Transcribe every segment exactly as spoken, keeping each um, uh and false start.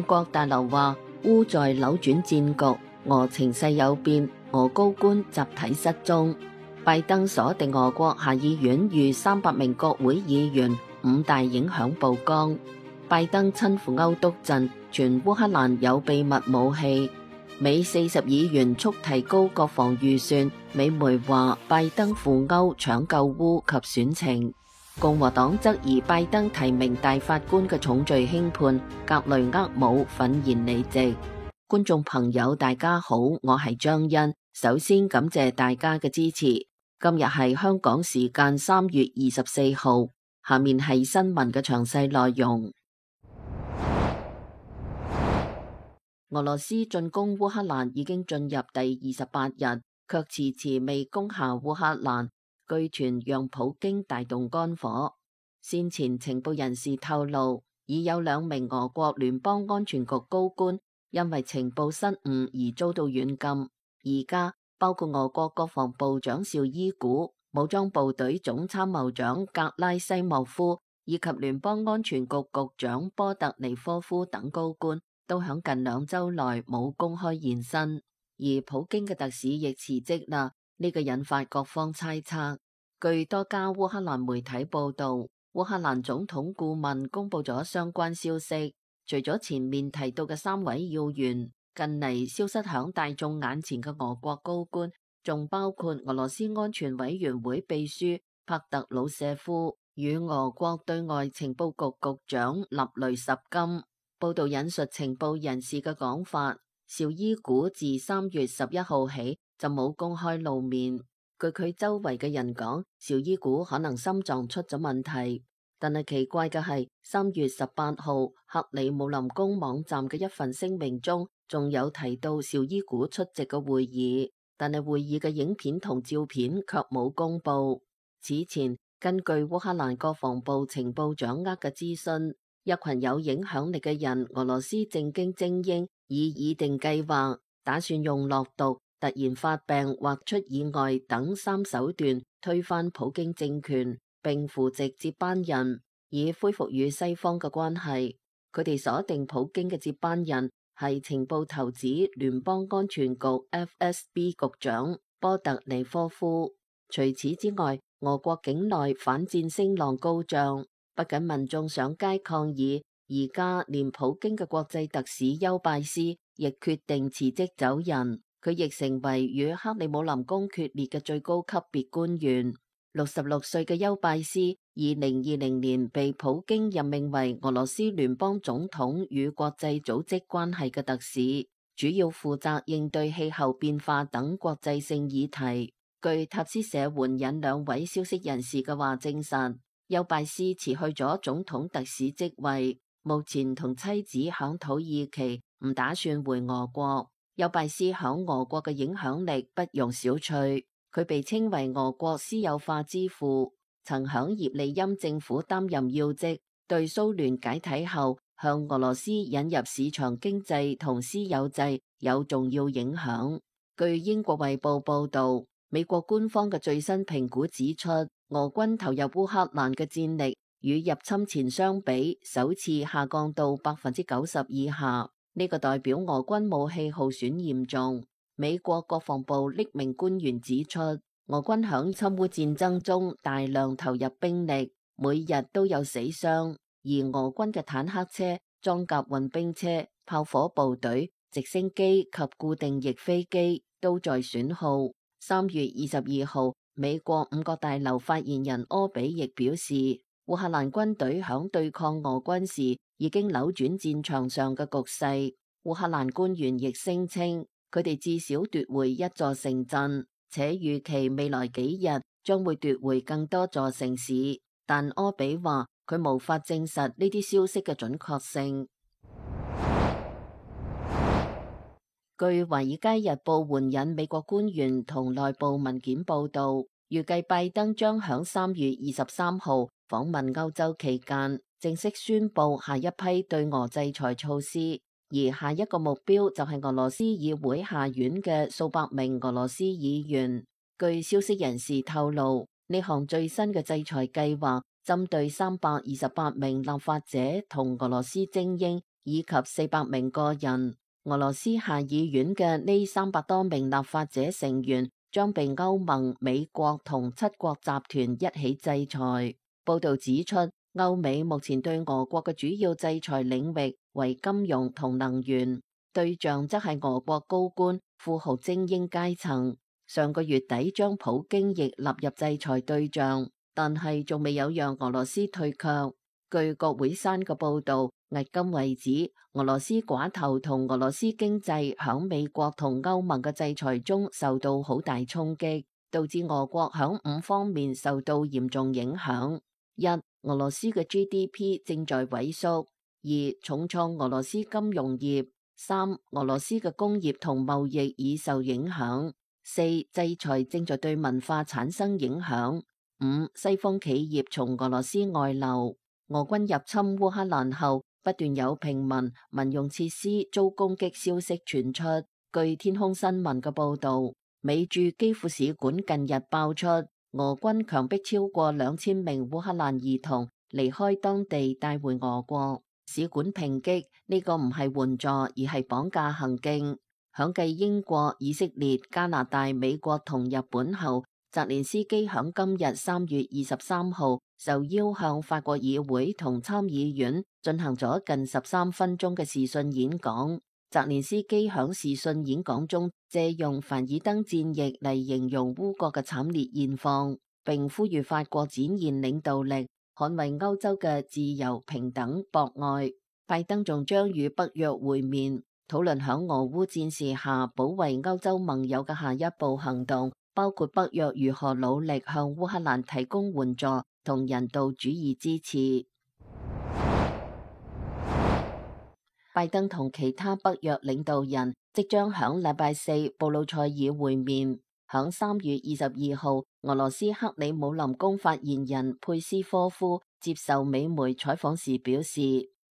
國大樓話，烏在扭轉戰局，俄情勢有變，俄高官集體失蹤。拜登鎖定俄國下議院逾三百名國會議員，五大影響曝光。拜登親赴歐督陣，傳烏克蘭有秘密武器。美四十議員促提高國防預算。美媒話拜登赴歐搶救烏及選情。共和黨質疑拜登提名大法官嘅重罪輕判，格雷厄姆憤然離席。觀眾朋友大家好，我係張欣，首先感謝大家嘅支持。今日係香港時間三月二十四號，下面係新聞嘅詳細內容。俄羅斯進攻烏克蘭已經進入第二十八日，卻遲遲未攻下烏克蘭，據傳讓普京大動肝火。先前情報人士透露，已有兩名俄國聯邦安全局高官因為情報失誤而遭到軟禁。而家包括俄國國防部長紹伊古、武裝部隊總參謀長格拉西莫夫以及聯邦安全局局長波特尼科夫等高官，都響近兩周內冇公開現身。而普京嘅特使亦辭職啦，呢個引發各方猜測。據多家烏克蘭媒體報道，烏克蘭總統顧問公布咗相關消息，除咗前面提到嘅三位要員，近嚟消失響大眾眼前嘅俄國高官，仲包括俄羅斯安全委員會秘書帕特魯舍夫與俄國對外情報局局長納雷什金。報道引述情報人士嘅講法，紹伊古自三月十一號起就冇公開露面。據佢周圍嘅人講，紹伊古可能心臟出咗問題。但係奇怪嘅係，三月十八號克里姆林宮網站嘅一份聲明中，仲有提到紹伊古出席嘅會議，但係會議嘅影片同照片卻冇公布。此前，根據烏克蘭國防部情報掌握嘅資訊，一群有影響力嘅人，俄羅斯政經精英已擬定計劃，打算用落毒、突然發病或出意外等三手段推翻普京政權，並扶植接班人，以恢復與西方嘅關係。佢哋鎖定普京嘅接班人係情報頭子聯邦安全局 F S B 局長波特尼科夫。除此之外，俄國境內反戰聲浪高漲。不僅民眾上街抗議，而家連普京嘅國際特使邱拜斯亦決定辭職走人，佢亦成為與克里姆林宮決裂嘅最高級別官員。六十六歲嘅邱拜斯，二零二零年被普京任命為俄羅斯聯邦總統與國際組織關係嘅特使，主要負責應對氣候變化等國際性議題。據塔斯社援引兩位消息人士嘅話證實，邱拜斯辭去咗總統特使職位，目前同妻子響土耳其，唔打算回俄國。邱拜斯響俄國嘅影響力不容小覷，佢被稱為俄國私有化之父，曾響葉利欽政府擔任要職，對蘇聯解體後向俄羅斯引入市場經濟同私有制有重要影響。據英國衛報報道，美國官方嘅最新評估指出，俄軍投入烏克蘭嘅戰力與入侵前相比，首次下降到百分之九十以下。呢個代表俄軍武器耗損嚴重。美國國防部匿名官員指出，俄軍響侵烏戰爭中大量投入兵力，每日都有死傷。而俄軍嘅坦克車、裝甲運兵車、炮火部隊、直升機及固定翼飛機都在損耗。三月二十二號，美國五角大樓發言人柯比亦表示，烏克蘭軍隊響對抗俄軍時已經扭轉戰場上嘅局勢。烏克蘭官員亦聲稱，佢哋至少奪回一座城鎮，且預期未來幾日將會奪回更多座城市。但柯比話，佢無法證實呢啲消息嘅準確性。據《華爾街日報》援引美國官員同內部文件報道，預計拜登將響三月二十三號訪問歐洲期間，正式宣布下一批對俄制裁措施，而下一個目標就係俄羅斯議會下院嘅數百名俄羅斯議員。據消息人士透露，呢項最新嘅制裁計劃針對三百二十八名立法者同俄羅斯精英以及四百名個人。俄羅斯下議院嘅呢三百多名立法者成員將被歐盟、美國同七國集團一起制裁。報道指出，歐美目前對俄國嘅主要制裁領域為金融同能源，對象則係俄國高官、富豪精英階層。上個月底將普京亦納入制裁對象，但係仲未有讓俄羅斯退卻。據國會山嘅報導，迄今為止，俄羅斯寡頭同俄羅斯經濟響美國同歐盟嘅制裁中受到好大衝擊，導致俄國響五方面受到嚴重影響。一、俄羅斯嘅 G D P 正在萎縮；二、重創俄羅斯金融業；三、俄羅斯嘅工業同貿易已受影響；四、制裁正在對文化產生影響；五、西方企業從俄羅斯外流。俄軍入侵烏克蘭後，不斷有平民民用設施遭攻擊消息傳出。據天空新聞嘅報道，美駐基輔使館近日爆出，俄軍強迫超過兩千名烏克蘭兒童離開當地帶回俄國。使館抨擊呢個唔係援助，而係綁架行徑。響繼英國、以色列、加拿大、美國同日本後，澤連斯基響今日三月二十三號受邀向法國議會同參議院進行咗近十三分鐘嘅視訊演講。澤連斯基響視訊演講中借用凡爾登戰役嚟形容烏國嘅慘烈現況，並呼籲法國展現領導力，捍衛歐洲嘅自由、平等、博愛。拜登仲將與北約會面，討論響俄烏戰事下保衛歐洲盟友嘅下一步行動，包括北約如何努力向烏克蘭提供援助同人道主義支持。拜登同其他北約領導人即將響禮拜四布魯塞爾會面。響三月二十二號，俄羅斯克里姆林宮發言人佩斯科夫接受美媒採訪時表示，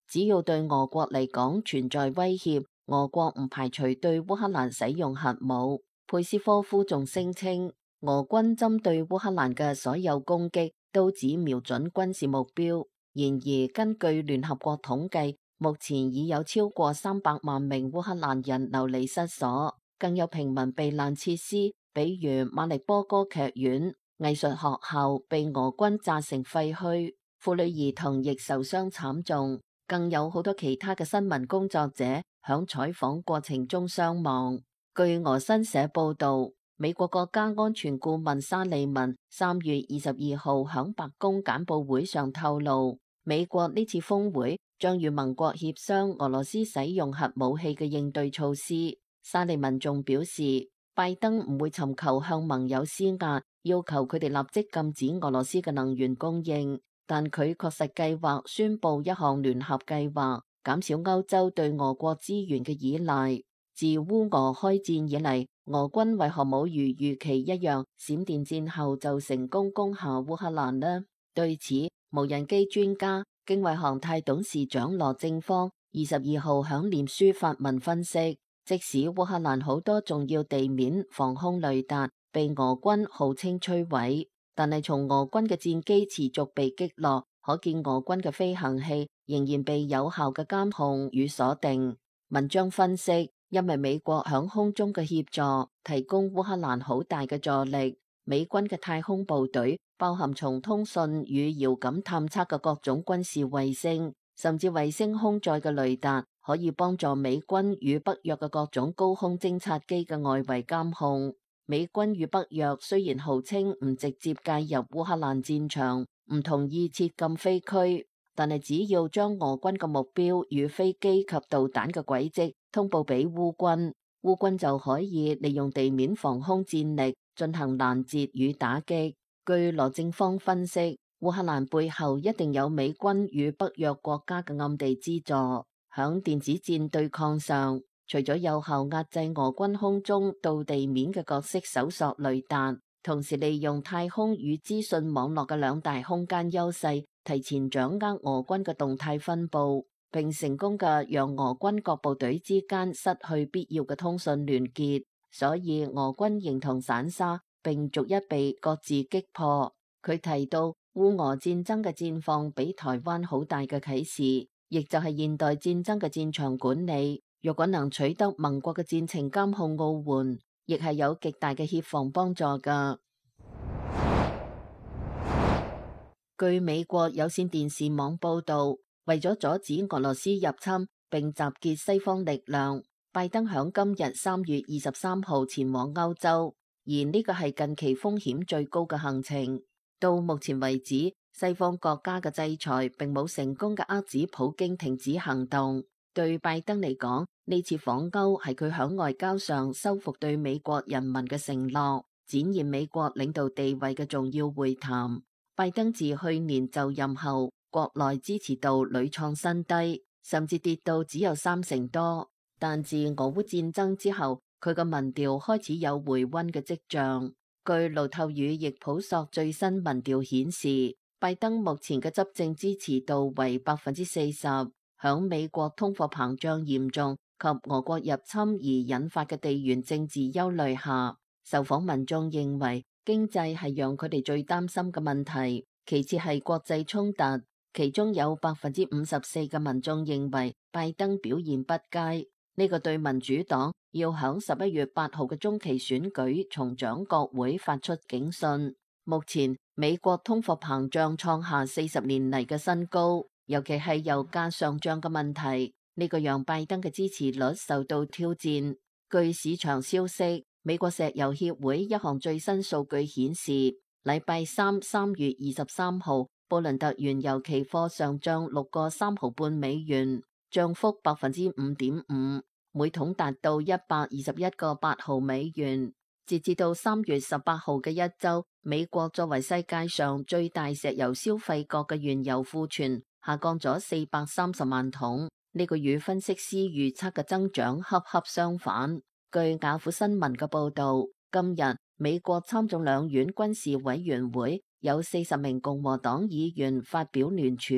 只要對俄國嚟講存在威脅，俄國唔排除對烏克蘭使用核武。佩斯科夫仲聲稱，俄軍針對烏克蘭嘅所有攻擊都只瞄準軍事目標。然而，根據聯合國統計，目前已有超過三百萬名烏克蘭人流離失所，更有平民避難設施，比如馬力波歌劇院、藝術學校被俄軍炸成廢墟，婦女兒童亦受傷慘重，更有好多其他嘅新聞工作者響採訪過程中傷亡。據俄新社報道，美國國家安全顧問沙利文三月二十二號響白宮簡報會上透露，美國呢次峰會將與盟國協商俄羅斯使用核武器嘅應對措施。沙利文仲表示，拜登唔會尋求向盟友施壓，要求佢哋立即禁止俄羅斯嘅能源供應，但佢確實計劃宣布一項聯合計劃，減少歐洲對俄國資源嘅依賴。自烏俄開戰以嚟，俄軍為何冇如預期一樣，閃電戰後就成功攻下烏克蘭呢？對此，無人機專家、經緯航太董事長羅正方二十二號響臉書發文分析，即使烏克蘭好多重要地面防空雷達被俄軍號稱摧毀，但係從俄軍嘅戰機持續被擊落，可見俄軍嘅飛行器仍然被有效嘅監控與鎖定。文章分析，因為美國響空中嘅協助，提供烏克蘭好大嘅助力。美軍嘅太空部隊包含從通訊與遙感探測嘅各種軍事衛星，甚至衛星空載嘅雷達，可以幫助美軍與北約嘅各種高空偵察機嘅外圍監控。美軍與北約雖然號稱唔直接介入烏克蘭戰場，唔同意設禁飛區，但係只要將俄軍嘅目標與飛機及導彈嘅軌跡通報俾烏軍，烏軍就可以利用地面防空戰力進行攔截與打擊。據羅正方分析，烏克蘭背後一定有美軍與北約國家嘅暗地資助。響電子戰對抗上，除咗有效壓制俄軍空中到地面嘅各式搜索雷達，同時利用太空與資訊網絡嘅兩大空間優勢，提前掌握俄軍嘅動態分佈，並成功嘅讓俄軍各部隊之間失去必要嘅通訊聯結，所以俄軍形同散沙，並逐一被各自擊破。佢提到烏俄戰爭嘅戰況俾台灣好大嘅啟示，亦就係現代戰爭嘅戰場管理。若果能取得盟國嘅戰情監控奧援，亦係有極大嘅協防幫助㗎。據美國有線電視網報導，為咗阻止俄羅斯入侵並集結西方力量，拜登響今日三月二十三號前往歐洲，而呢個係近期風險最高嘅行程。到目前為止，西方國家嘅制裁並冇成功嘅遏止普京停止行動。對拜登嚟講，呢次訪歐係佢響外交上修復對美國人民嘅承諾，展現美國領導地位嘅重要會談。拜登自去年就任後，國內支持度屢創新低，甚至跌到只有三成多。但自俄烏戰爭之後，佢嘅民調開始有回溫嘅跡象。據路透與易普索最新民調顯示，拜登目前嘅執政支持度為百分之四十。響美國通貨膨脹嚴重及俄國入侵而引發嘅地緣政治憂慮下，受訪民眾認為經濟係讓佢哋最擔心嘅問題，其次係國際衝突。其中有百分之五十四嘅民眾認為拜登表現不佳，呢個對民主黨要響十一月八號嘅中期選舉重掌國會發出警訊。目前美國通貨膨脹創下四十年嚟嘅新高。尤其係油價上漲嘅問題，呢個讓拜登嘅支持率受到挑戰。據市場消息，美國石油協會一項最新數據顯示，禮拜三三月二十三號，布倫特原油期貨上漲六個三毫半美元，漲幅百分之五點五，每桶達到一百二十一個八毫美元。截至到三月十八號嘅一周，美國作為世界上最大石油消費國嘅原油庫存下降咗四百三十萬桶，呢個與分析師預測嘅增長恰恰相反。據雅虎新聞嘅報道，今日美國參眾兩院軍事委員會有四十名共和黨議員發表聯署，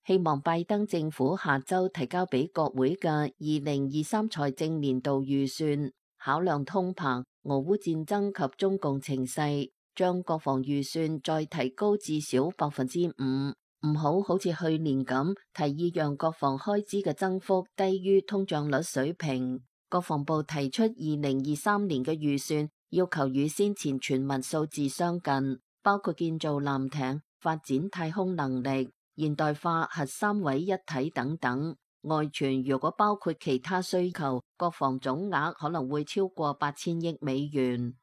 希望拜登政府下周提交俾國會嘅二零二三財政年度預算，考量通膨、俄烏戰爭及中共情勢，將國防預算再提高至少百分之五。唔好好似去年咁提議讓國防開支嘅增幅低於通脹率水平。國防部提出二零二三年嘅預算要求與先前傳聞數字相近，包括建造艦艇、發展太空能力、現代化核三位一體等等。外傳如果包括其他需求，國防總額可能會超過八千億美元。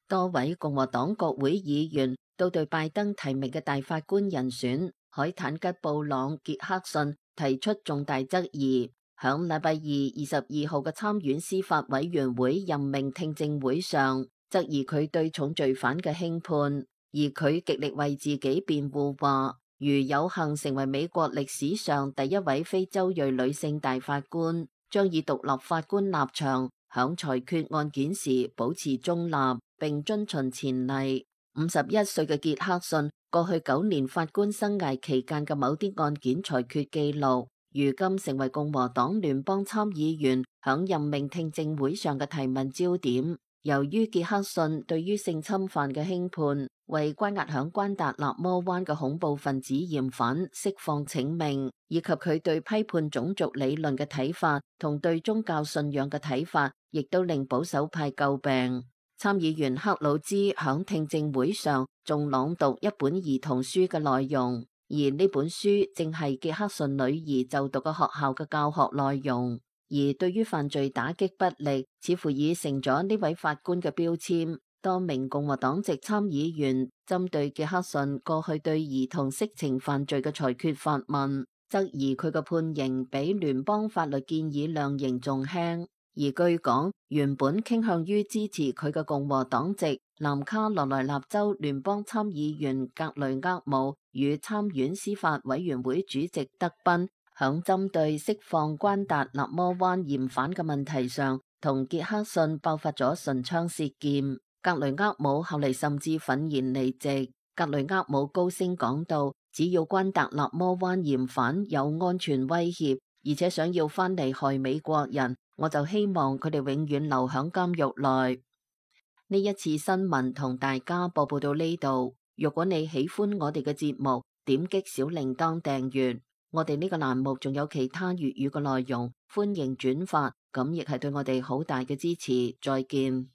多位共和黨國會議員都對拜登提名嘅大法官人選海坦吉布朗傑克遜提出重大質疑。響禮拜二二十二號嘅參院司法委員會任命聽證會上，質疑佢對重罪犯嘅輕判，而佢極力為自己辯護，話如有幸成為美國歷史上第一位非洲裔女性大法官，將以獨立法官立場響裁決案件時保持中立，並遵循前例。五十一歲嘅傑克遜過去九年法官生涯期間嘅某啲案件裁決記錄，如今成為共和黨聯邦參議員響任命聽證會上嘅提問焦點。由於傑克遜對於性侵犯嘅輕判，為關押響關達納摩灣嘅恐怖分子嫌犯釋放請命，以及佢對批判種族理論嘅睇法同對宗教信仰嘅睇法，亦都令保守派詬病。參議員克魯茲響聽證會上仲朗讀一本兒童書嘅內容，而呢本書正係傑克遜女兒就讀嘅學校嘅教學內容。而對於犯罪打擊不力，似乎已成咗呢位法官嘅標籤。多名共和黨籍參議員針對傑克遜過去對兒童色情犯罪嘅裁決發問，質疑佢嘅判刑比聯邦法律建議量刑仲輕。而據講，原本傾向於支持佢嘅共和黨籍南卡羅來納州聯邦參議員格雷厄姆與參院司法委員會主席德賓響針對釋放關達納摩灣嫌犯嘅問題上，同傑克遜爆發咗唇槍舌劍。格雷厄姆後嚟甚至憤然離席。格雷厄姆高聲講道：只要關達納摩灣嫌犯有安全威脅，而且想要翻嚟害美國人，我就希望佢哋永遠留響監獄內。呢一次新聞同大家播報到呢度。如果你喜歡我哋嘅節目，點擊小鈴鐺訂閱。我哋呢個欄目仲有其他粵語嘅內容，歡迎轉發，咁亦係對我哋好大嘅支持。再見。